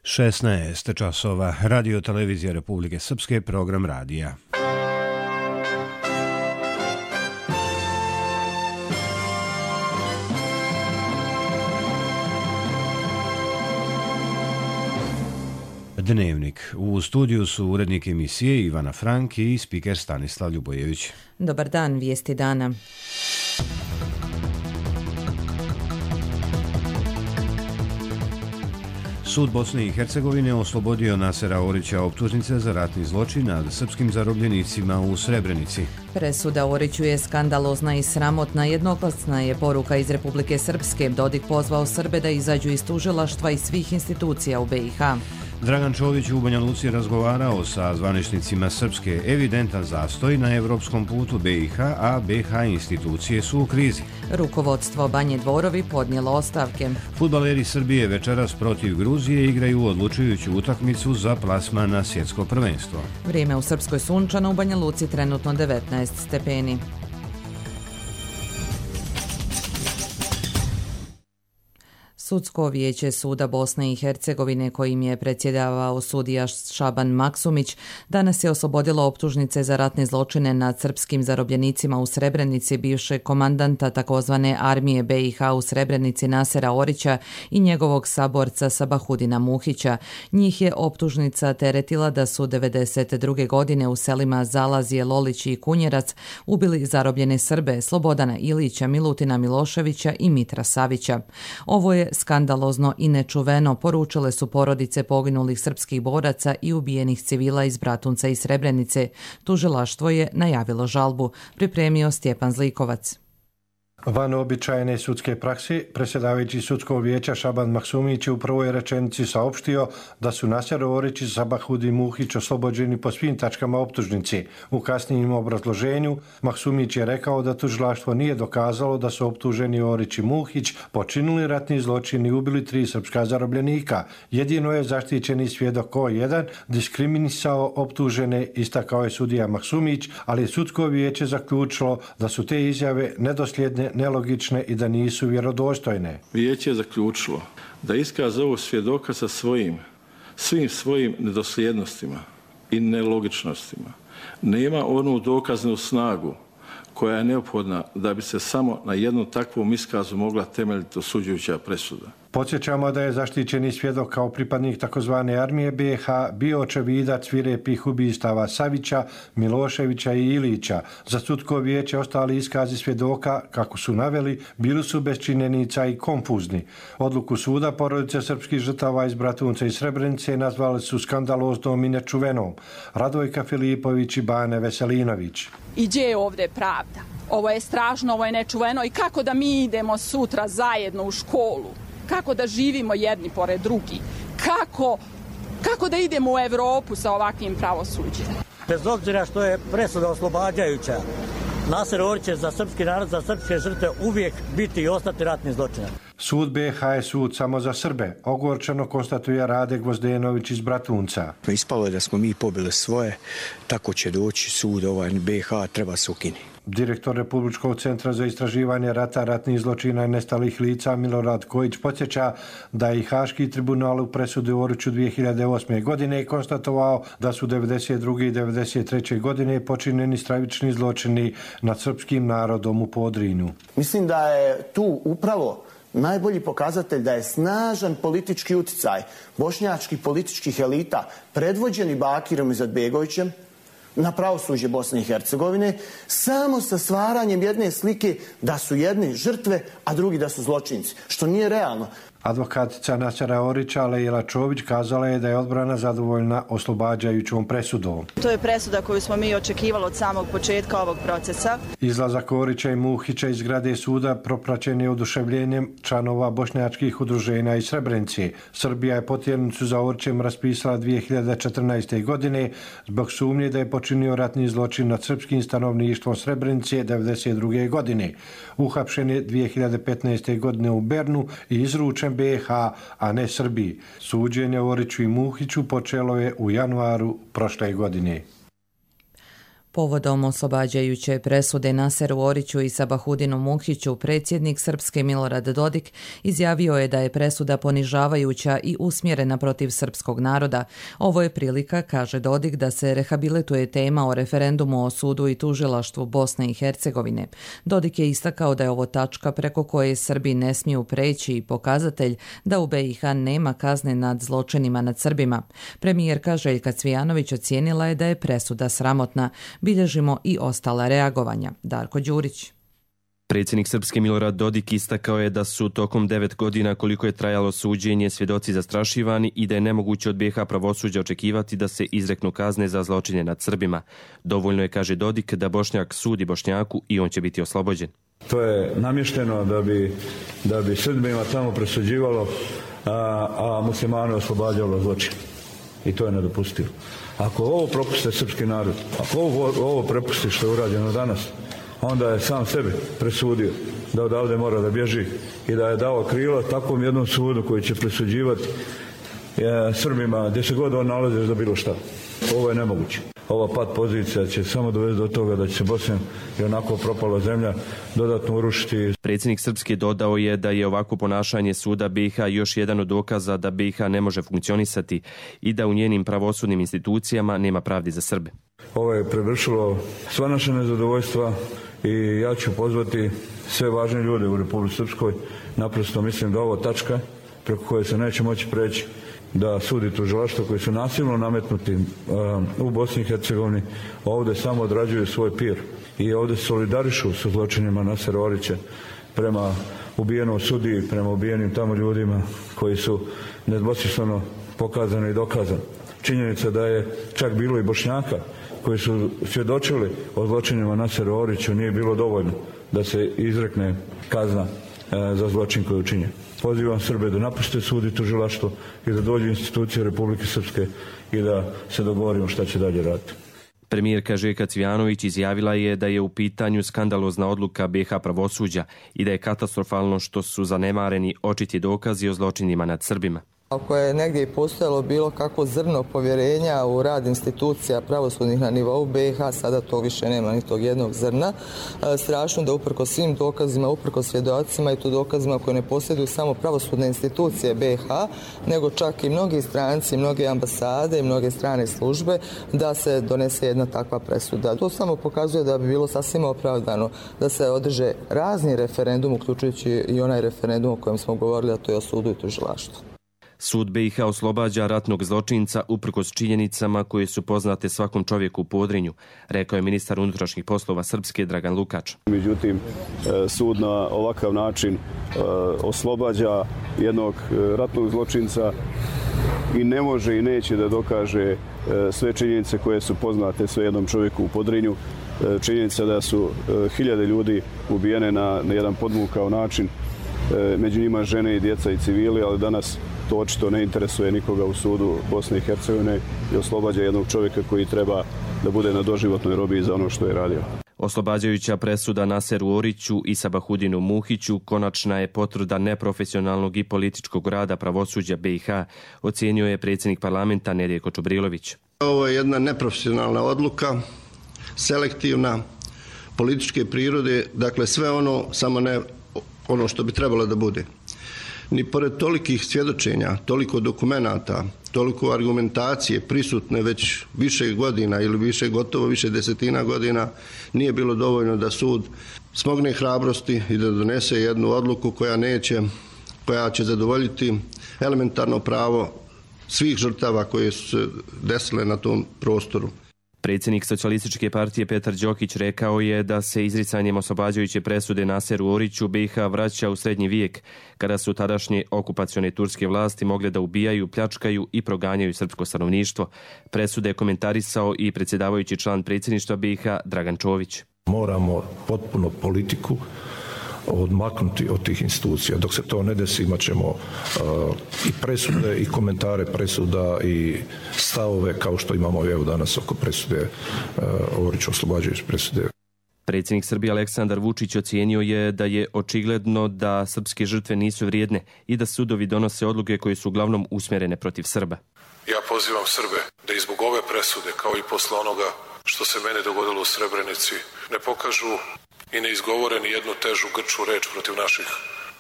16 časova. Radio televizija Republike Srpske, program radija. Dnevnik. U studiju su urednik emisije Ivana Frank i spiker Stanislav Ljubojević. Dobar dan, vijesti dana. Sud Bosne i Hercegovine oslobodio Nasera Orića optužnice za ratni zločin nad srpskim zarobljenicima u Srebrenici. Presuda Oriću je skandalozna i sramotna. Jednoglasna je poruka iz Republike Srpske. Dodik pozvao Srbe da izađu iz tužilaštva i svih institucija u BiH. Dragan Čović u Banja Luci razgovarao sa zvaničnicima Srpske. Evidentan zastoj na evropskom putu BiH, a BiH institucije su u krizi. Rukovodstvo Banje Dvorovi podnijelo ostavke. Fudbaleri Srbije večeras protiv Gruzije igraju odlučujuću utakmicu za plasman na svjetsko prvenstvo. Vrijeme u Srpskoj sunčano, u Banja Luci trenutno 19 stepeni. Sudsko vijeće Suda Bosne i Hercegovine, kojim je predsjedavao sudija Šaban Maksumić, danas je oslobodilo optužnice za ratne zločine nad srpskim zarobljenicima u Srebrenici, bivšeg komandanta takozvane armije BiH u Srebrenici Nasera Orića i njegovog saborca Sabahudina Muhića. Njih je optužnica teretila da su 1992. godine u selima Zalazije, Lolić i Kunjerac ubili zarobljene Srbe Slobodana Ilića, Milutina Miloševića i Mitra Savića. Ovo je skandalozno i nečuveno, poručile su porodice poginulih srpskih boraca i ubijenih civila iz Bratunca i Srebrenice. Tužilaštvo je najavilo žalbu. Pripremio Stjepan Zlikovac. Van običajne sudske prakse, predsjedavajući sudskog vijeća Šaban Maksumić je u prvoj rečenici saopštio da su Naser Orić i Sabahudin Muhić oslobođeni po svim tačkama optužnice. U kasnijem obrazloženju Maksumić je rekao da tužilaštvo nije dokazalo da su optuženi Orić i Muhić počinili ratni zločin i ubili 3 srpska zarobljenika. Jedino je zaštićeni svjedok O1 diskriminisao optužene, istakao je sudija Maksumić, ali je sudsko vijeće zaključilo da su te izjave nedosljedne, nelogične i da nisu vjerodostojne. Vijeće je zaključilo da iskaz ovog svjedoka sa svim svojim nedosljednostima i nelogičnostima nema onu dokaznu snagu koja je neophodna da bi se samo na jednom takvom iskazu mogla temeljiti osuđujuća presuda. Podsjećamo da je zaštićeni svjedok kao pripadnik takozvane armije BiH bio očevidac svirepih ubistava Savića, Miloševića i Ilića. Za sudsko vijeće ostali iskazi svjedoka, kako su naveli, bili su bez činjenica i konfuzni. Odluku suda porodice srpskih žrtava iz Bratunca i Srebrenice nazvali su skandaloznom i nečuvenom. Radojka Filipović i Bane Veselinović. I gdje je ovdje pravda? Ovo je strašno, ovo je nečuveno i kako da mi idemo sutra zajedno u školu? Kako da živimo jedni pored drugih? Kako da idemo u Evropu sa ovakvim pravosuđem? Bez obzira što je presuda oslobađajuća, Naser Orić će za srpski narod, za srpske žrtve uvijek biti i ostati ratni zločinac. Sud BiH je sud samo za Srbe, ogorčeno konstatuje Rade Gvozdenović iz Bratunca. Ispalo je da smo mi pobili svoje, tako će doći sud BiH, treba se ukinuti. Direktor Republičkog centra za istraživanje rata, ratnih zločina i nestalih lica Milorad Kojić podsjeća da je i Haški tribunal u presudi Oriću 2008. godine konstatovao da su 1992. i 1993. godine počinjeni stravični zločini nad srpskim narodom u Podrinju. Mislim da je tu upravo najbolji pokazatelj da je snažan politički utjecaj bošnjačkih političkih elita predvođeni Bakirom Izetbegovićem na pravosuđe Bosne i Hercegovine, samo sa stvaranjem jedne slike da su jedni žrtve, a drugi da su zločinci, što nije realno. Advokatica Nasera Orića, Lejla Čović, kazala je da je odbrana zadovoljna oslobađajućom presudom. To je presuda koju smo mi očekivali od samog početka ovog procesa. Izlazak Orića i Muhića iz zgrade suda propraćen je oduševljenjem članova bošnjačkih udruženja iz Srebrenice. Srbija je potjernicu za Orićem raspisala 2014. godine zbog sumnje da je počinio ratni zločin nad srpskim stanovništvom Srebrenice 1992. godine. Uhapšen je 2015. godine u Bernu i izručen BiH, a ne Srbiji. Suđenje Oriću i Muhiću počelo je u januaru prošle godine. Povodom oslobađajuće presude Naseru Oriću i Sabahudinu Muhiću, predsjednik Srpske Milorad Dodik izjavio je da je presuda ponižavajuća i usmjerena protiv srpskog naroda. Ovo je prilika, kaže Dodik, da se rehabilituje tema o referendumu o sudu i tužilaštvu Bosne i Hercegovine. Dodik je istakao da je ovo tačka preko koje Srbi ne smiju preći i pokazatelj da u BiH nema kazne nad zločinima nad Srbima. Premijerka Željka Cvijanović ocijenila je da je presuda sramotna. Bilježimo i ostala reagovanja. Darko Đurić. Predsjednik Srpske Milorad Dodik istakao je da su tokom 9 godina koliko je trajalo suđenje svjedoci zastrašivani i da je nemoguće od BiH pravosuđa očekivati da se izreknu kazne za zločine nad Srbima. Dovoljno je, kaže Dodik, da Bošnjak sudi Bošnjaku i on će biti oslobođen. To je namješteno da bi Srbima tamo presuđivalo, a muslimane oslobađalo zločin. I to je nedopustivo. Ako ovo propuste srpski narod, ako ovo prepusti što je urađeno danas, onda je sam sebi presudio da odavde mora da bježi i da je dao krilo takvom jednom sudu koji će presuđivati Srbima gdje se god on nalazi za bilo šta. Ovo je nemoguće. Ova pad pozicija će samo dovesti do toga da će se Bosna i onako propala zemlja dodatno urušiti. Predsjednik Srpske dodao je da je ovako ponašanje suda BiH još jedan od dokaza da BiH ne može funkcionisati i da u njenim pravosudnim institucijama nema pravdi za Srbe. Ovo je prevršilo sva naša nezadovoljstva i ja ću pozvati sve važne ljude u Republici Srpskoj. Naprosto mislim da ovo tačka preko koje se neće moći preći, da sudi tužilaštvo koji su nasilno nametnuti u Bosni i Hercegovini ovdje samo odrađuju svoj pir i ovdje solidarišu sa zločinima Nasera Orića prema ubijenom sudiji, prema ubijenim tamo ljudima koji su nedvosmisleno pokazani i dokazani. Činjenica da je čak bilo i Bošnjaka koji su svjedočili o zločinima Nasera Oriću nije bilo dovoljno da se izrekne kazna za zločin koji je učinjen. Pozivam Srbe da napuste sud i tužilaštvo i da dođu institucije Republike Srpske i da se dogovorimo šta će dalje raditi. Premijerka Željka Cvijanović izjavila je da je u pitanju skandalozna odluka BiH pravosuđa i da je katastrofalno što su zanemareni očiti dokazi o zločinima nad Srbima. Ako je negdje i postojalo bilo kakvo zrno povjerenja u rad institucija pravosudnih na nivou BiH, sada to više nema ni tog jednog zrna. Strašno da uprkos svim dokazima, uprkos svjedocima i to dokazima koje ne posjeduju samo pravosudne institucije BiH, nego čak i mnogi stranci, mnoge ambasade i mnoge strane službe, da se donese jedna takva presuda. To samo pokazuje da bi bilo sasvim opravdano da se održe razni referendum, uključujući i onaj referendum o kojem smo govorili, a to je o sudu i tužilaštvu. Sud BiH oslobađa ratnog zločinca uprkos činjenicama koje su poznate svakom čovjeku u Podrinju, rekao je ministar unutrašnjih poslova Srpske Dragan Lukač. Međutim, sud na ovakav način oslobađa jednog ratnog zločinca i ne može i neće da dokaže sve činjenice koje su poznate sve jednom čovjeku u Podrinju. Činjenica da su hiljade ljudi ubijene na jedan podmukao način, među njima žene i djeca i civili, ali danas to očito ne interesuje nikoga u sudu Bosne i Hercegovine i oslobađa jednog čovjeka koji treba da bude na doživotnoj robiji za ono što je radio. Oslobađajuća presuda Naseru Oriću i Sabahudinu Muhiću konačna je potvrda neprofesionalnog i političkog rada pravosuđa BiH, ocijenio je predsjednik parlamenta Nedjeljko Čubrilović. Ovo je jedna neprofesionalna odluka, selektivna, političke prirode, dakle sve ono, samo ne ono što bi trebalo da bude. Ni pored tolikih svjedočenja, toliko dokumenata, toliko argumentacije prisutne već više godina ili gotovo više desetina godina, nije bilo dovoljno da sud smogne hrabrosti i da donese jednu odluku koja će zadovoljiti elementarno pravo svih žrtava koje su se desile na tom prostoru. Predsjednik Socijalističke partije Petar Đokić rekao je da se izricanjem oslobađajuće presude Naseru Oriću BiH vraća u srednji vijek, kada su tadašnje okupacione turske vlasti mogle da ubijaju, pljačkaju i proganjaju srpsko stanovništvo. Presude je komentarisao i predsjedavajući član predsjedništva BiH Dragan Čović. Moramo potpuno politiku odmaknuti od tih institucija. Dok se to ne desi, imat ćemo i presude i komentare presuda i stavove kao što imamo evo danas oko presude Oriću, oslobađajuće presude. Predsjednik Srbije Aleksandar Vučić ocijenio je da je očigledno da srpske žrtve nisu vrijedne i da sudovi donose odluke koje su uglavnom usmjerene protiv Srba. Ja pozivam Srbe da i zbog ove presude, kao i posle onoga što se meni dogodilo u Srebrenici, ne pokažu i ne izgovore ni jednu težu grču reč protiv naših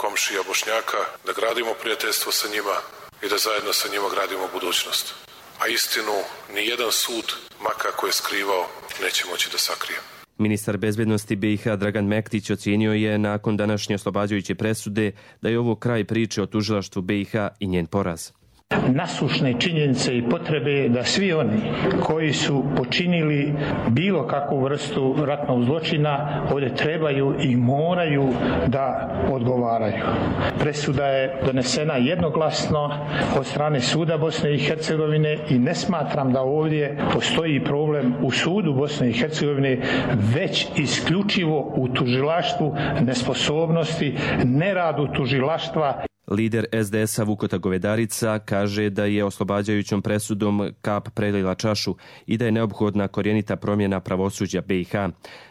komšija Bošnjaka, da gradimo prijateljstvo sa njima i da zajedno sa njima gradimo budućnost. A istinu ni jedan sud, ma kako je skrivao, neće moći da sakrije. Ministar bezbednosti BiH Dragan Mektić ocijenio je nakon današnje oslobađajuće presude da je ovo kraj priče o tužilaštvu BiH i njen poraz. Nasušne činjenice i potrebe da svi oni koji su počinili bilo kakvu vrstu ratnog zločina ovdje trebaju i moraju da odgovaraju. Presuda je donesena jednoglasno od strane suda Bosne i Hercegovine i ne smatram da ovdje postoji problem u sudu Bosne i Hercegovine, već isključivo u tužilaštvu, nesposobnosti, neradu tužilaštva. Lider SDS-a Vukota Govedarica kaže da je oslobađajućom presudom kap prelila čašu i da je neophodna korjenita promjena pravosuđa BiH.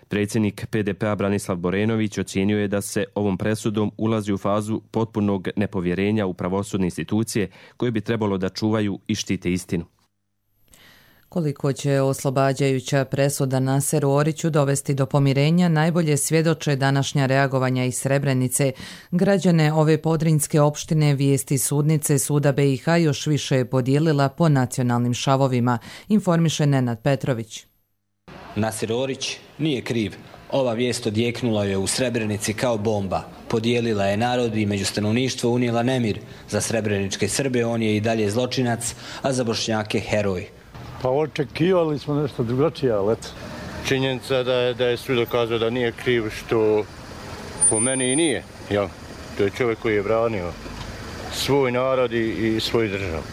Predsjednik PDP-a Branislav Borenović ocijenio je da se ovom presudom ulazi u fazu potpunog nepovjerenja u pravosudne institucije koje bi trebalo da čuvaju i štite istinu. Koliko će oslobađajuća presuda Naseru Oriću dovesti do pomirenja, najbolje svjedoče današnja reagovanja iz Srebrenice. Građane ove podrinjske opštine vijesti sudnice Suda BiH još više je podijelila po nacionalnim šavovima, informiše Nenad Petrović. Naser Orić nije kriv. Ova vijest odjeknula je u Srebrenici kao bomba. Podijelila je narod i među stanovništvo unijela nemir. Za srebreničke Srbe on je i dalje zločinac, a za Bošnjake heroj. Pa očekivali smo nešto drugačije, ali eto. Činjenica da je sud dokazao da nije kriv, što po meni i nije. Jel? To je čovjek koji je branio svoj narod i svoju državu.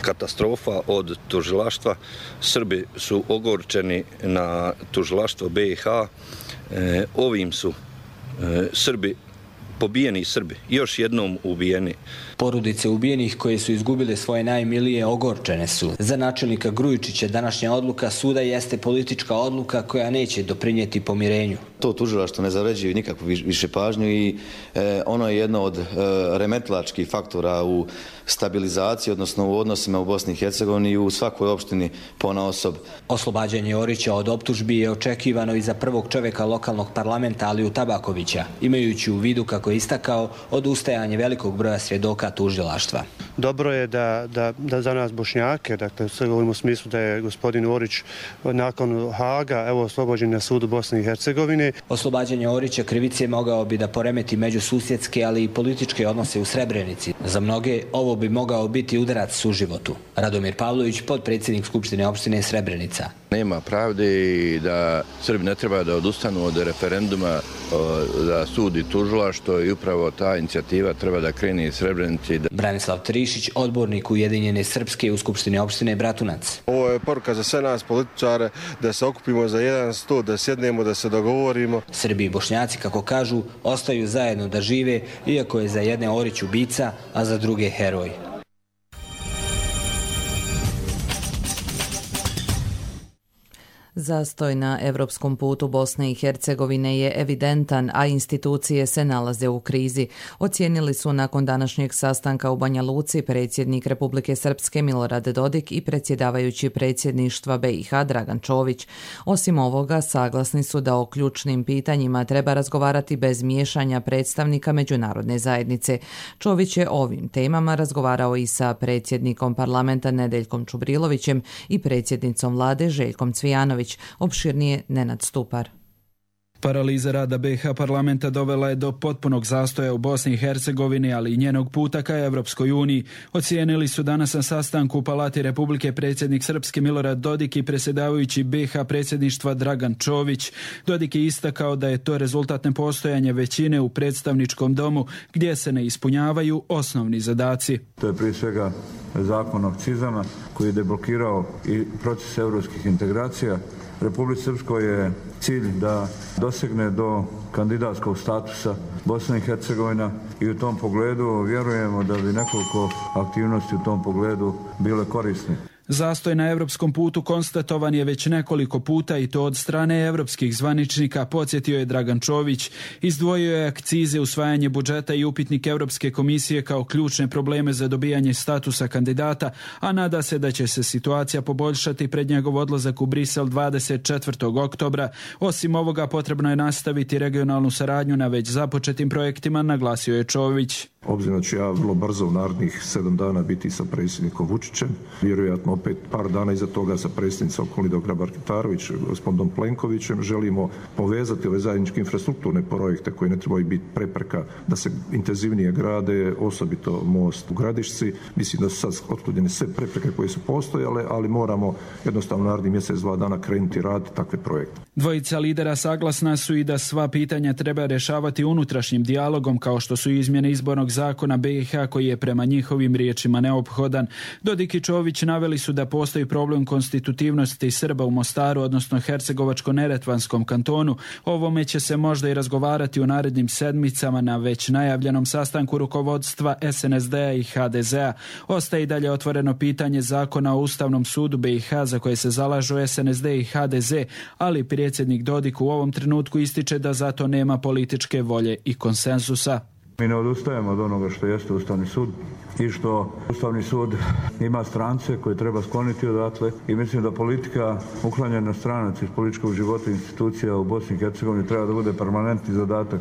Katastrofa od tužilaštva. Srbi su ogorčeni na tužilaštvo BiH. Ovim su Srbi, pobijeni Srbi, još jednom ubijeni. Porodice ubijenih koje su izgubile svoje najmilije ogorčene su. Za načelnika Grujičića današnja odluka suda jeste politička odluka koja neće doprinijeti pomirenju. To tužilaštvo ne zavređuje nikakvu više pažnju i ono je jedno od remetilačkih faktora u stabilizaciji, odnosno u odnosima u Bosni i Hercegovini i u svakoj opštini ponaosob. Oslobađanje Orića od optužbi je očekivano i za prvog čovjeka lokalnog parlamenta Aliju Tabakovića, imajući u vidu, kako je istakao, odustajanje velikog broja svjedoka tužilaštva. Dobro je da za nas Bošnjake, dakle sve govorimo u smislu da je gospodin Orić nakon Haga oslobođen na sudu Bosne i Hercegovine. Oslobađanje Orića krivice mogao bi da poremeti međususjedske, ali i političke odnose u Srebrenici. Za mnoge ovo bi mogao biti udarac suživotu. Radomir Pavlović, potpredsjednik Skupštine opštine Srebrenica. Nema pravde i da Srbi ne treba da odustanu od referenduma da sudi tužilaštvo i upravo ta inicijativa treba da krene iz Srebrenice. Branislav Trišić, odbornik Ujedinjene Srpske u Skupštini opštine Bratunac. Ovo je poruka za sve nas političare da se okupimo za jedan sto, da sjednemo, da se dogovorimo. Srbi i Bošnjaci, kako kažu, ostaju zajedno da žive, iako je za jedne Orić ubica, a za druge heroj. Zastoj na evropskom putu Bosne i Hercegovine je evidentan, a institucije se nalaze u krizi. Ocijenili su nakon današnjeg sastanka u Banja Luci predsjednik Republike Srpske Milorad Dodik i predsjedavajući predsjedništva BiH Dragan Čović. Osim ovoga, saglasni su da o ključnim pitanjima treba razgovarati bez miješanja predstavnika međunarodne zajednice. Čović je o ovim temama razgovarao i sa predsjednikom parlamenta Nedeljkom Čubrilovićem i predsjednicom vlade Željkom Cvijanović. Opširnije Nenad Stupar. Paraliza rada BiH parlamenta dovela je do potpunog zastoja u Bosni i Hercegovini, ali i njenog puta ka Evropskoj uniji. Ocijenili su danas na sastanku u Palati Republike predsjednik Srpske Milorad Dodik i predsjedavajući BiH predsjedništva Dragan Čović. Dodik je istakao da je to rezultat nepostojanja većine u predstavničkom domu gdje se ne ispunjavaju osnovni zadaci. To je prije svega zakon o akcizama koji je deblokirao i proces europskih integracija. Republici Srpskoj je cilj da dosegne do kandidatskog statusa Bosna i Hercegovina i u tom pogledu vjerujemo da bi nekoliko aktivnosti u tom pogledu bile korisne. Zastoj na europskom putu konstatovan je već nekoliko puta i to od strane europskih zvaničnika, podsjetio je Dragan Čović. Izdvojio je akcize, usvajanje budžeta i upitnik Europske komisije kao ključne probleme za dobijanje statusa kandidata, a nada se da će se situacija poboljšati pred njegov odlazak u Brisel 24. oktobra. Osim ovoga, potrebno je nastaviti regionalnu saradnju na već započetim projektima, naglasio je Čović. Obzirom da ću ja vrlo brzo u narednih 7 dana biti sa predsjednikom Vučićem, vjerojatno opet par dana iza toga sa predsjednicom Kolindom Grabar-Kitarović, gospodinom Plenkovićem, želimo povezati ove zajedničke infrastrukturne projekte koji ne trebaju biti prepreka da se intenzivnije grade, osobito most u Gradišci. Mislim da su sad otklonjene sve prepreke koje su postojale, ali moramo jednostavno narednih mjesec, 2 dana krenuti raditi takve projekte. Dvojica lidera saglasna su i da sva pitanja treba rješavati unutrašnjim dijalogom, kao što su izmjene izbornog zakona BiH koji je prema njihovim riječima neophodan. Dodik i Čović naveli su da postoji problem konstitutivnosti Srba u Mostaru, odnosno Hercegovačko-Neretvanskom kantonu. Ovome će se možda i razgovarati u narednim sedmicama na već najavljenom sastanku rukovodstva SNSD-a i HDZ-a. Ostaje i dalje otvoreno pitanje zakona o Ustavnom sudu BiH za koje se zalažu SNSD i HDZ, ali predsjednik Dodik u ovom trenutku ističe da zato nema političke volje i konsenzusa. Mi ne odustajemo od onoga što jeste Ustavni sud i što Ustavni sud ima strance koje treba skloniti odatle i mislim da politika uklanjanja stranaca iz političkog života institucija u Bosni i Hercegovini treba da bude permanentni zadatak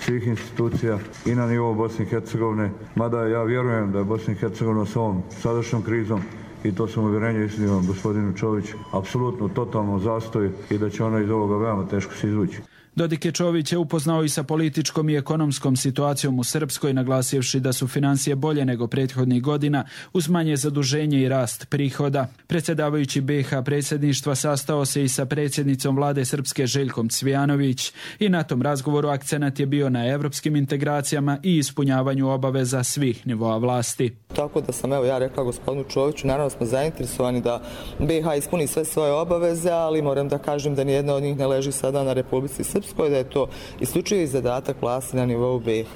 svih institucija i na nivou Bosne i Hercegovine, mada ja vjerujem da je Bosna i Hercegovina s ovom sadašnjom krizom, i to sam uvjerenje istinom gospodinu Čoviću, apsolutno totalno zastoj i da će ona iz ovoga veoma teško se izvući. Dodik je Čović je upoznao i sa političkom i ekonomskom situacijom u Srpskoj, naglasivši da su financije bolje nego prethodnih godina uz manje zaduženje i rast prihoda. Predsjedavajući BiH predsjedništva sastao se i sa predsjednicom vlade Srpske Željkom Cvijanović i na tom razgovoru akcenat je bio na europskim integracijama i ispunjavanju obaveza svih nivoa vlasti. Tako da sam ja rekla gospodinu Čoviću, naravno smo zainteresovani da BiH ispuni sve svoje obaveze, ali moram da kažem da nijedna od njih ne leži sada na Republici Srpskoj, da je to isključivi zadatak vlasti na nivou BiH.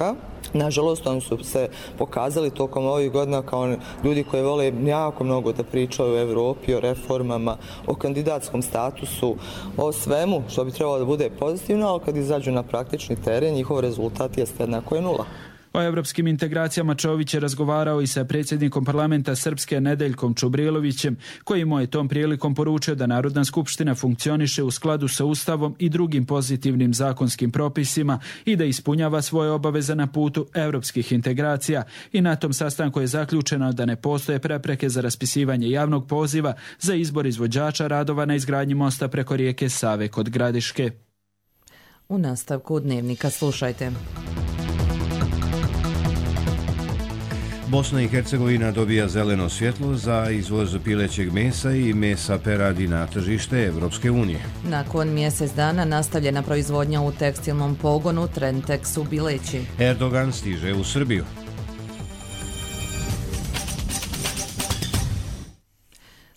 Nažalost, oni su se pokazali tokom ovih godina kao ljudi koji vole jako mnogo da pričaju o Evropi, o reformama, o kandidatskom statusu, o svemu što bi trebalo da bude pozitivno, ali kad izađu na praktični teren, njihov rezultat jeste jednako je nula. O evropskim integracijama Čović je razgovarao i sa predsjednikom parlamenta Srpske Nedeljkom Čubrilovićem, koji mu je tom prilikom poručio da Narodna skupština funkcioniše u skladu sa Ustavom i drugim pozitivnim zakonskim propisima i da ispunjava svoje obaveze na putu evropskih integracija. I na tom sastanku je zaključeno da ne postoje prepreke za raspisivanje javnog poziva za izbor izvođača radova na izgradnji mosta preko rijeke Save kod Gradiške. U nastavku Dnevnika slušajte. Bosna i Hercegovina dobija zeleno svjetlo za izvoz pilećeg mesa i mesa peradi na tržište Evropske unije. Nakon mjesec dana nastavljena proizvodnja u tekstilnom pogonu Trentex u Bileći. Erdogan stiže u Srbiju.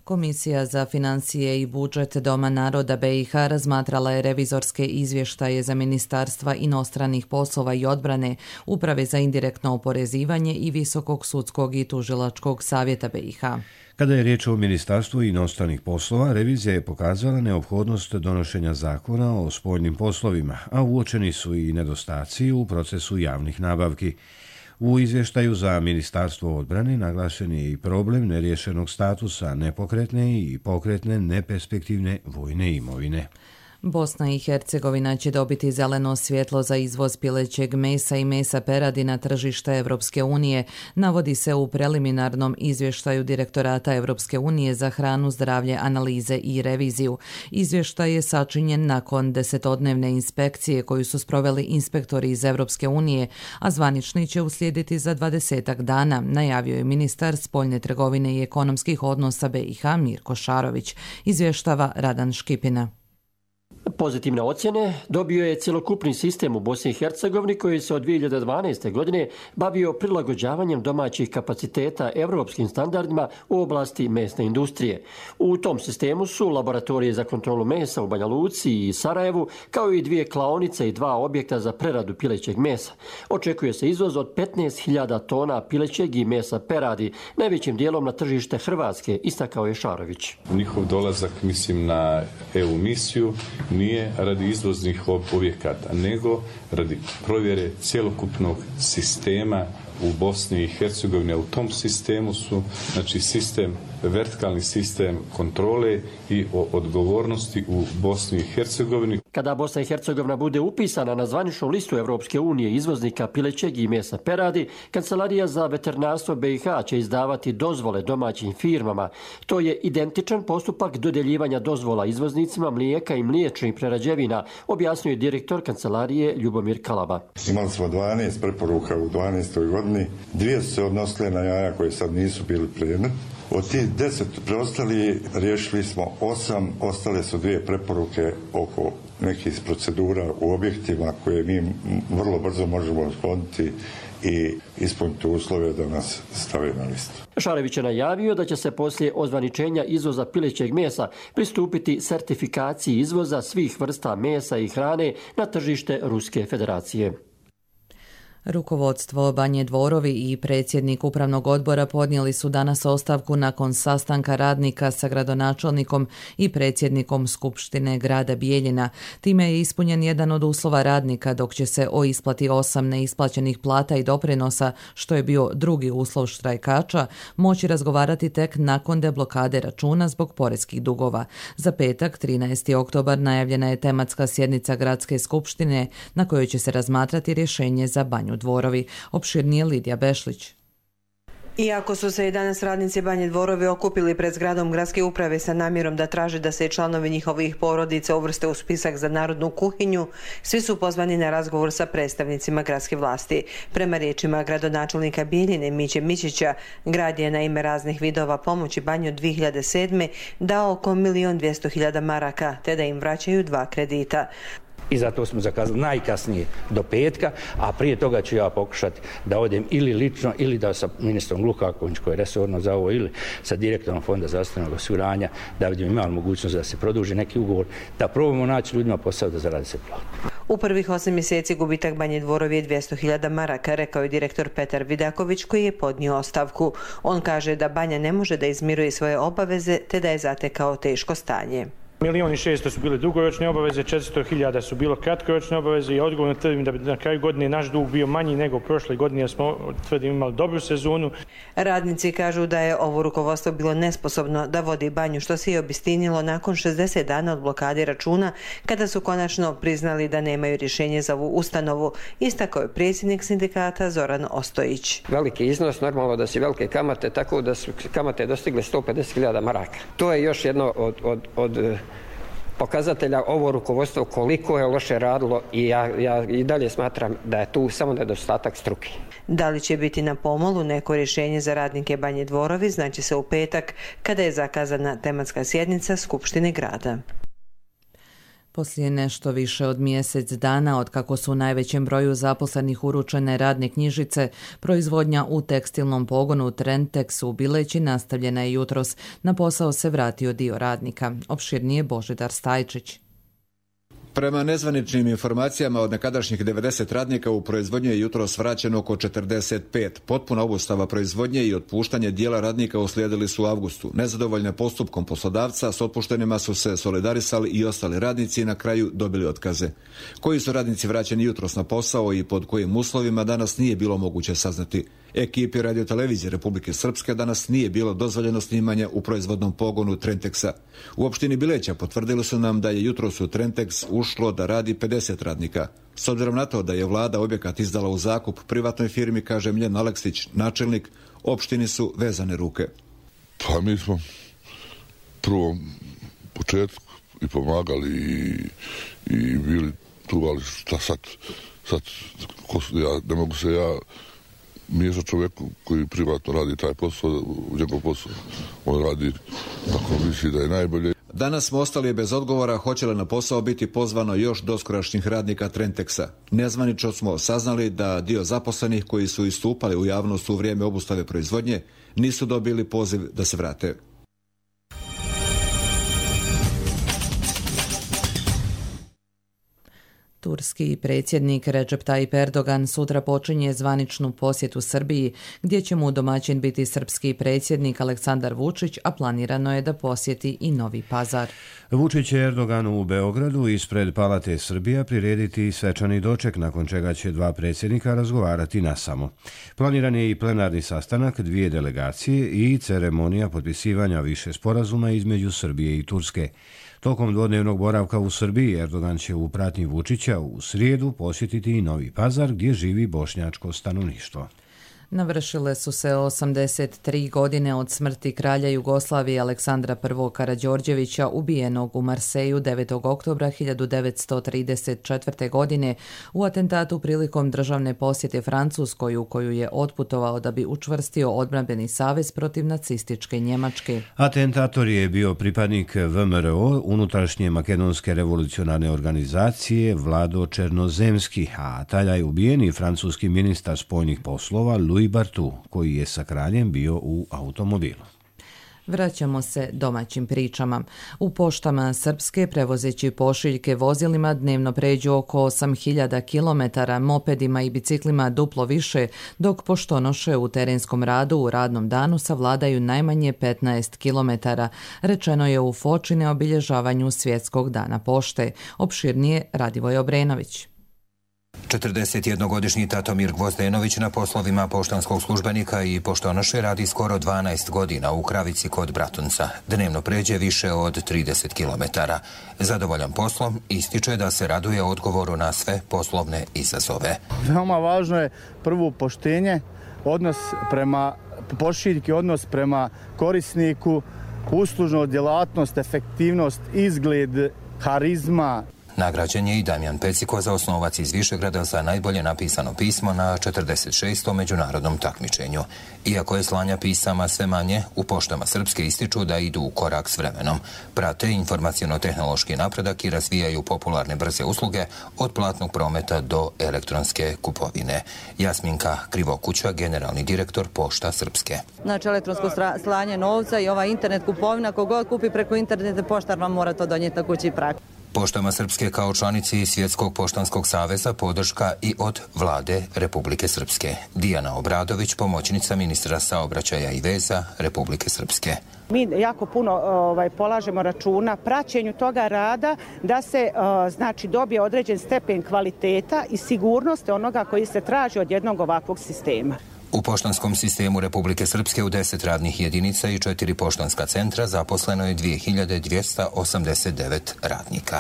Komisija za financije i budžet Doma naroda BiH razmatrala je revizorske izvještaje za Ministarstva inostranih poslova i odbrane, Uprave za indirektno oporezivanje i Visokog sudskog i tužilačkog savjeta BiH. Kada je riječ o Ministarstvu inostranih poslova, revizija je pokazala neophodnost donošenja zakona o spoljnim poslovima, a uočeni su i nedostaci u procesu javnih nabavki. U izvještaju za Ministarstvo odbrane naglašen je i problem neriješenog statusa nepokretne i pokretne neperspektivne vojne imovine. Bosna i Hercegovina će dobiti zeleno svjetlo za izvoz pilećeg mesa i mesa peradi na tržište Evropske unije, navodi se u preliminarnom izvještaju Direktorata Evropske unije za hranu, zdravlje, analize i reviziju. Izvještaj je sačinjen nakon 10-dnevne inspekcije koju su sproveli inspektori iz Evropske unije, a zvanični će uslijediti za 20 dana, najavio je ministar spoljne trgovine i ekonomskih odnosa BiH Mirko Šarović, izvještava Radan Škipina. The Pozitivne ocjene dobio je cjelokupni sistem u Bosni i Hercegovini koji se od 2012. godine bavio prilagođavanjem domaćih kapaciteta europskim standardima u oblasti mesne industrije. U tom sistemu su laboratorije za kontrolu mesa u Banja Luci i Sarajevu, kao i 2 klaonice i 2 objekta za preradu pilećeg mesa. Očekuje se izvoz od 15.000 tona pilećeg i mesa peradi, najvećim dijelom na tržište Hrvatske, istakao je Šarović. Njihov dolazak, mislim, na EU misiju nije radi izvoznih objekata, nego radi provjere cjelokupnog sistema u Bosni i Hercegovini. U tom sistemu su, znači, vertikalni sistem kontrole i odgovornosti u Bosni i Hercegovini. Kada Bosna i Hercegovina bude upisana na zvaničnu listu Europske unije izvoznika pilećeg i mesa peradi, Kancelarija za veterinarstvo BiH će izdavati dozvole domaćim firmama. To je identičan postupak dodjeljivanja dozvola izvoznicima mlijeka i mliječnih prerađevina, objasnio je direktor Kancelarije Ljubomir Kalaba. Imali smo 12 preporuka u 12. godini. 2 su se odnosile na jaja koje sad nisu bili predmet. Od tih 10 preostali riješili smo 8, ostale su 2 preporuke oko nekih procedura u objektima koje mi vrlo brzo možemo otkloniti i ispuniti uslove da nas stave na listu. Šarević je najavio da će se poslije ozvaničenja izvoza pilećeg mesa pristupiti sertifikaciji izvoza svih vrsta mesa i hrane na tržište Ruske federacije. Rukovodstvo Banje Dvorovi i predsjednik upravnog odbora podnijeli su danas ostavku nakon sastanka radnika sa gradonačelnikom i predsjednikom Skupštine grada Bijeljina. Time je ispunjen jedan od uslova radnika, dok će se o isplati 8 neisplaćenih plata i doprinosa, što je bio drugi uslov štrajkača, moći razgovarati tek nakon deblokade računa zbog poreskih dugova. Za petak, 13. oktobar, najavljena je tematska sjednica Gradske skupštine na kojoj će se razmatrati rješenje za Banju Dvorovi. Opširnije Lidija Bešlić. Iako su se i danas radnici Banje Dvorovi okupili pred zgradom gradske uprave sa namjerom da traže da se i članovi njihovih porodica uvrste u spisak za narodnu kuhinju, svi su pozvani na razgovor sa predstavnicima gradske vlasti. Prema riječima gradonačelnika Bijeljine Miće Mićića, grad je na ime raznih vidova pomoći Banju 2007. dao oko 1.200.000 maraka, te da im vraćaju 2 kredita. I zato smo zakazali najkasnije do petka, a prije toga ću ja pokušati da odem ili lično ili da sa ministrom Lukaković koji je resorno za ovo ili sa direktorom Fonda zdravstvenog osiguranja da vidimo imali mogućnost da se produži neki ugovor, da probamo naći ljudima posao da zaradi se platu. U prvih 8 mjeseci gubitak Banje Dvorovi je 200.000 maraka, rekao je direktor Petar Vidaković koji je podnio ostavku. On kaže da Banja ne može da izmiruje svoje obaveze te da je zatekao teško stanje. 1.600.000 su bile dugoročne obaveze, 400.000 su bilo kratkoročne obaveze i odgovorno tvrdim da bi na kraju godine naš dug bio manji nego prošle godine jer smo tvrdim imali dobru sezonu. Radnici kažu da je ovo rukovodstvo bilo nesposobno da vodi Banju, što se i obistinilo nakon 60 dana od blokade računa kada su konačno priznali da nemaju rješenje za ovu ustanovu, istakao je predsjednik sindikata Zoran Ostojić. Veliki iznos, normalno da su velike kamate, tako da su kamate dostigle 150.000 maraka. To je još jedno od pokazatelja ovo rukovodstvo koliko je loše radilo i ja i dalje smatram da je tu samo nedostatak struke. Da li će biti na pomolu neko rješenje za radnike Banje Dvorovi, znači se u petak kada je zakazana tematska sjednica Skupštine grada. Poslije nešto više od mjesec dana od kako su u najvećem broju zaposlenih uručene radne knjižice, proizvodnja u tekstilnom pogonu Trentex u Bileći nastavljena je jutros. Na posao se vratio dio radnika. Opširnije Božidar Stajčić. Prema nezvaničnim informacijama od nekadašnjih 90 radnika u proizvodnji je jutros vraćeno oko 45. Potpuna obustava proizvodnje i otpuštanje dijela radnika uslijedili su u avgustu. Nezadovoljne postupkom poslodavca s otpuštenima su se solidarisali i ostali radnici i na kraju dobili otkaze. Koji su radnici vraćeni jutros na posao i pod kojim uslovima danas nije bilo moguće saznati. Ekipi radiotelevizije Republike Srpske danas nije bilo dozvoljeno snimanje u proizvodnom pogonu Trentexa. U opštini Bileća potvrdili su nam da je jutros u Trentex ušlo da radi 50 radnika. S obzirom na to da je vlada objekat izdala u zakup privatnoj firmi, kaže Mljen Aleksić, načelnik, opštini su vezane ruke. Pa mi smo prvom početku i pomagali i bili tu, ali šta sad ne mogu se ja miješat čovjeku koji privatno radi taj posao, njegov posao. On radi kako misli da je najbolje. Danas smo ostali bez odgovora hoće li na posao biti pozvano još doskorašnjih radnika Trentexa. Nezvanično smo saznali da dio zaposlenih koji su istupali u javnost u vrijeme obustave proizvodnje nisu dobili poziv da se vrate. Turski predsjednik Recep Tayyip Erdogan sutra počinje zvaničnu posjetu Srbiji, gdje će mu domaćin biti srpski predsjednik Aleksandar Vučić, a planirano je da posjeti i Novi Pazar. Vučić će Erdoganu u Beogradu ispred Palate Srbija prirediti svečani doček, nakon čega će dva predsjednika razgovarati nasamo. Planiran je i plenarni sastanak dvije delegacije i ceremonija potpisivanja više sporazuma između Srbije i Turske. Tokom dvodnevnog boravka u Srbiji Erdogan će u pratnji Vučića u srijedu posjetiti i Novi Pazar, gdje živi bošnjačko stanovništvo. Navršile su se 83 godine od smrti kralja Jugoslavije Aleksandra I. Karađorđevića, ubijenog u Marseju 9. oktobra 1934. godine u atentatu prilikom državne posjete Francuskoj, u koju je otputovao da bi učvrstio odbrambeni savez protiv nacističke Njemačke. Atentator je bio pripadnik VMRO, unutrašnje makedonske revolucionarne organizacije Vlado Černozemski, a tada je ubijen i francuski ministar spoljnih poslova Louis Bartu, koji je sa kraljem bio u automobilu. Vraćamo se domaćim pričama. U poštama Srpske, prevozeći pošiljke vozilima, dnevno pređu oko 8.000 km, mopedima i biciklima duplo više, dok poštonoše u terenskom radu u radnom danu savladaju najmanje 15 km, rečeno je u Foči na obilježavanju Svjetskog dana pošte. Opširnije Radivoj Obrenović. 41-godišnji Tatomir Gvozdenović na poslovima poštanskog službenika i poštonoše radi skoro 12 godina u Kravici kod Bratunca. Dnevno pređe više od 30 km. Zadovoljan poslom, ističe da se raduje odgovoru na sve poslovne izazove. Veoma važno je prvo poštenje, odnos prema pošiljki, odnos prema korisniku, uslužnost, djelatnost, efektivnost, izgled, harizma. Nagrađen je i Damjan Pecikoza, osnovac iz Višegrada, za najbolje napisano pismo na 46. međunarodnom takmičenju. Iako je slanja pisama sve manje, u poštama Srpske ističu da idu u korak s vremenom. Prate informaciono-tehnološki napredak i razvijaju popularne brze usluge od platnog prometa do elektronske kupovine. Jasminka Krivokuća, generalni direktor Pošta Srpske. Znači elektronsko slanje novca i ova internet kupovina, kogod kupi preko interneta, poštar vam mora to donijeti na kući prak. Poštama Srpske kao članici Svjetskog poštanskog saveza podrška i od Vlade Republike Srpske. Dijana Obradović, pomoćnica ministra saobraćaja i veza Republike Srpske. Mi jako puno polažemo računa praćenju toga rada da se znači dobije određen stepen kvaliteta i sigurnosti onoga koji se traži od jednog ovakvog sistema. U poštanskom sistemu Republike Srpske u 10 radnih jedinica i 4 poštanska centra zaposleno je 2289 radnika.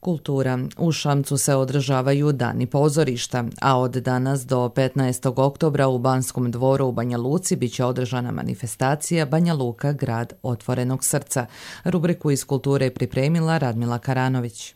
Kultura. U Šamcu se održavaju dani pozorišta, a od danas do 15. oktobra u Banskom dvoru u Banja Luci biće održana manifestacija Banja Luka, grad otvorenog srca. Rubriku iz kulture pripremila Radmila Karanović.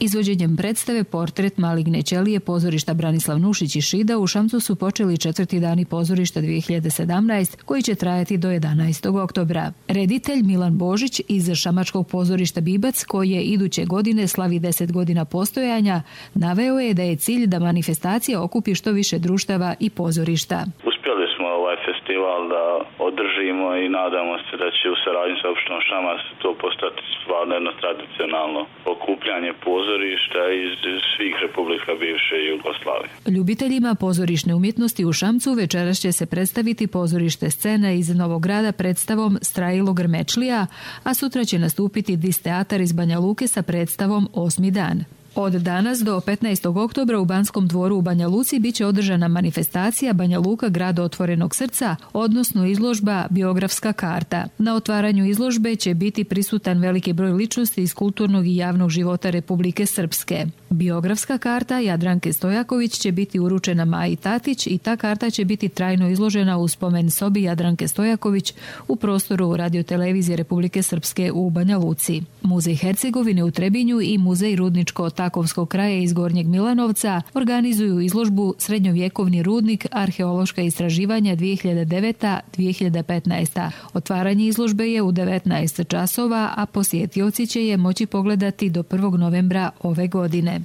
Izvođenjem predstave Portret maligne ćelije pozorišta Branislav Nušić i Šida u Šamcu su počeli 4. dani pozorišta 2017, koji će trajati do 11. oktobra. Reditelj Milan Božić iz Šamačkog pozorišta Bibac, koji je iduće godine slavi 10 godina postojanja, naveo je da je cilj da manifestacija okupi što više društava i pozorišta. Uspjeli smo ovaj festival da održimo i nadamo se da će u saradnji sa opštinom Šamac to postati stvarno jedno tradicionalno okupljanje pozorišta iz svih republika bivše Jugoslavije. Ljubiteljima pozorišne umjetnosti u Šamcu večeras će se predstaviti pozorište Scena iz Novog Grada predstavom Strajilo Grmečlija, a sutra će nastupiti Dis teatar iz Banja Luke sa predstavom Osmi dan. Od danas do 15. oktobra u Banskom dvoru u Banja Luci biće održana manifestacija Banja Luka, grad otvorenog srca, odnosno izložba Biografska karta. Na otvaranju izložbe će biti prisutan veliki broj ličnosti iz kulturnog i javnog života Republike Srpske. Biografska karta Jadranke Stojaković će biti uručena Maji Tatić i ta karta će biti trajno izložena u spomen sobi Jadranke Stojaković u prostoru radiotelevizije Republike Srpske u Banja Luci. Muzej Hercegovine u Trebinju i Muzej Rudničko takovskog kraja iz Gornjeg Milanovca organizuju izložbu Srednjovjekovni rudnik arheološka istraživanja 2009-2015. Otvaranje izložbe je u 19 časova, a posjetioci će je moći pogledati do 1. novembra ove godine.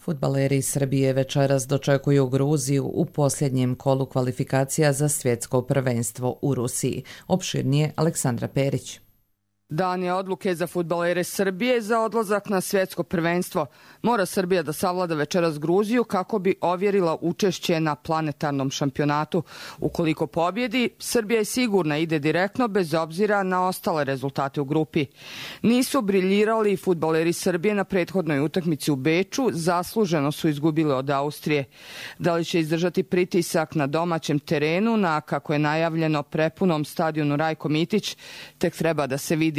Fudbaleri Srbije večeras dočekuju Gruziju u posljednjem kolu kvalifikacija za svjetsko prvenstvo u Rusiji. Opširnije Aleksandra Perić. Dan je odluke za fudbalere Srbije za odlazak na svjetsko prvenstvo. Mora Srbija da savlada večeras Gruziju kako bi ovjerila učešće na planetarnom šampionatu. Ukoliko pobjedi, Srbija je sigurna ide direktno bez obzira na ostale rezultate u grupi. Nisu briljirali fudbaleri Srbije na prethodnoj utakmici u Beču, zasluženo su izgubili od Austrije. Da li će izdržati pritisak na domaćem terenu na, kako je najavljeno, prepunom stadionu Rajko Mitić, tek treba da se vidi.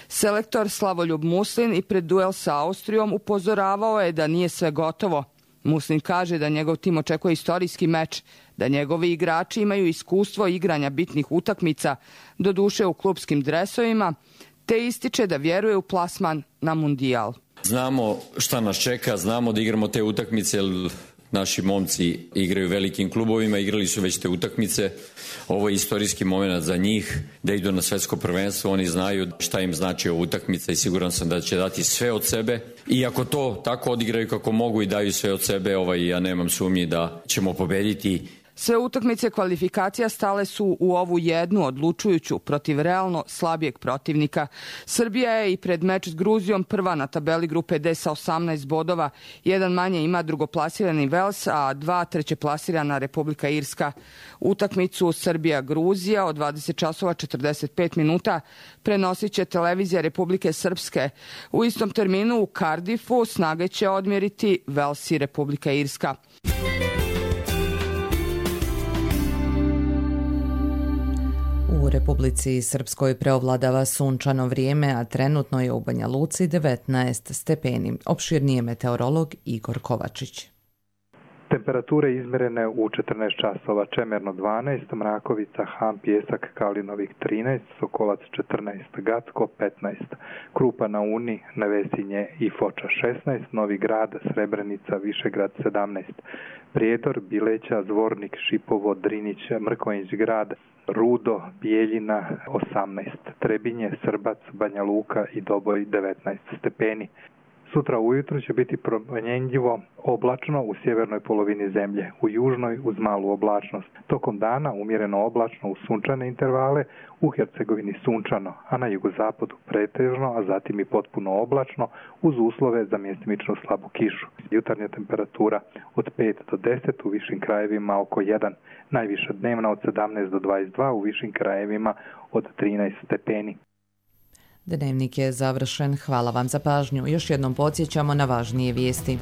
Selektor Slavoljub Muslin i pred duel sa Austrijom upozoravao je da nije sve gotovo. Muslin kaže da njegov tim očekuje istorijski meč, da njegovi igrači imaju iskustvo igranja bitnih utakmica, doduše u klupskim dresovima, te ističe da vjeruje u plasman na mundijal. Znamo šta nas čeka, znamo da igramo te utakmice, jer naši momci igraju u velikim klubovima, igrali su već te utakmice. Ovo je istorijski moment za njih da idu na svjetsko prvenstvo. Oni znaju šta im znači ova utakmica i siguran sam da će dati sve od sebe. I ako to tako odigraju kako mogu i daju sve od sebe, ja nemam sumnji da ćemo pobediti. Sve utakmice kvalifikacija stale su u ovu jednu odlučujuću protiv realno slabijeg protivnika. Srbija je i pred meč s Gruzijom prva na tabeli grupe D sa 18 bodova. Jedan manje ima drugoplasirani Vels, a 2 trećeplasirana Republika Irska. Utakmicu Srbija-Gruzija od 20 časova 45 minuta prenosit će televizija Republike Srpske. U istom terminu u Cardiffu snage će odmjeriti Vels i Republika Irska. U Republici Srpskoj preovladava sunčano vrijeme, a trenutno je u Banja Luci 19 stepeni. Opširnije meteorolog Igor Kovačić. Temperature izmjerene u 14 časova, Čemerno 12, Mrakovica, Ham, Pjesak, Kalinovik 13, Sokolac 14, Gacko 15, Krupa na Uni, Nevesinje i Foča 16, Novi Grad, Srebrenica, Višegrad 17, Prijedor, Bileća, Zvornik, Šipovo, Drinić, Mrkonjić Grad, Rudo, Bijeljina 18, Trebinje, Srbac, Banja Luka i Doboj 19 stepeni. Sutra ujutro će biti promjenjivo oblačno u sjevernoj polovini zemlje, u južnoj uz malu oblačnost. Tokom dana umjereno oblačno u sunčane intervale, u Hercegovini sunčano, a na jugozapadu pretežno, a zatim i potpuno oblačno uz uslove za mjestimičnu slabu kišu. Jutarnja temperatura od 5 do 10, u višim krajevima oko 1, najviša dnevna od 17 do 22, u višim krajevima od 13 stepeni. Dnevnik je završen. Hvala vam za pažnju. Još jednom podsjećamo na važnije vijesti.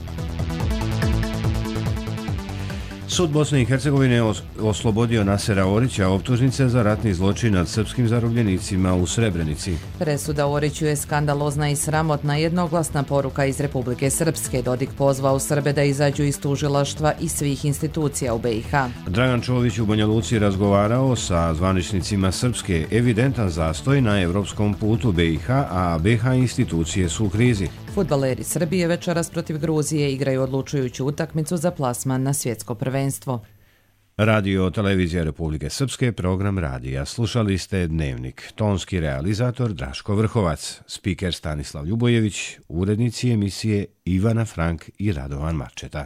Sud Bosne i Hercegovine oslobodio Nasera Orića optužnice za ratni zločin nad srpskim zarobljenicima u Srebrenici. Presuda Oriću je skandalozna i sramotna, jednoglasna poruka iz Republike Srpske. Dodik pozvao Srbe da izađu iz tužilaštva i svih institucija u BiH. Dragan Čović u Banja Luci razgovarao sa zvaničnicima Srpske. Evidentan zastoj na evropskom putu BiH, a BiH institucije su u krizi. Fudbaleri Srbije večeras protiv Gruzije igraju odlučujuću utakmicu za plasman na svjetsko prvenstvo. Radio Televizija Republike Srpske, program radija. Slušali ste Dnevnik. Tonski realizator Draško Vrhovac, spiker Stanislav Ljubojević, urednici emisije Ivana Frank i Radovan Marčeta.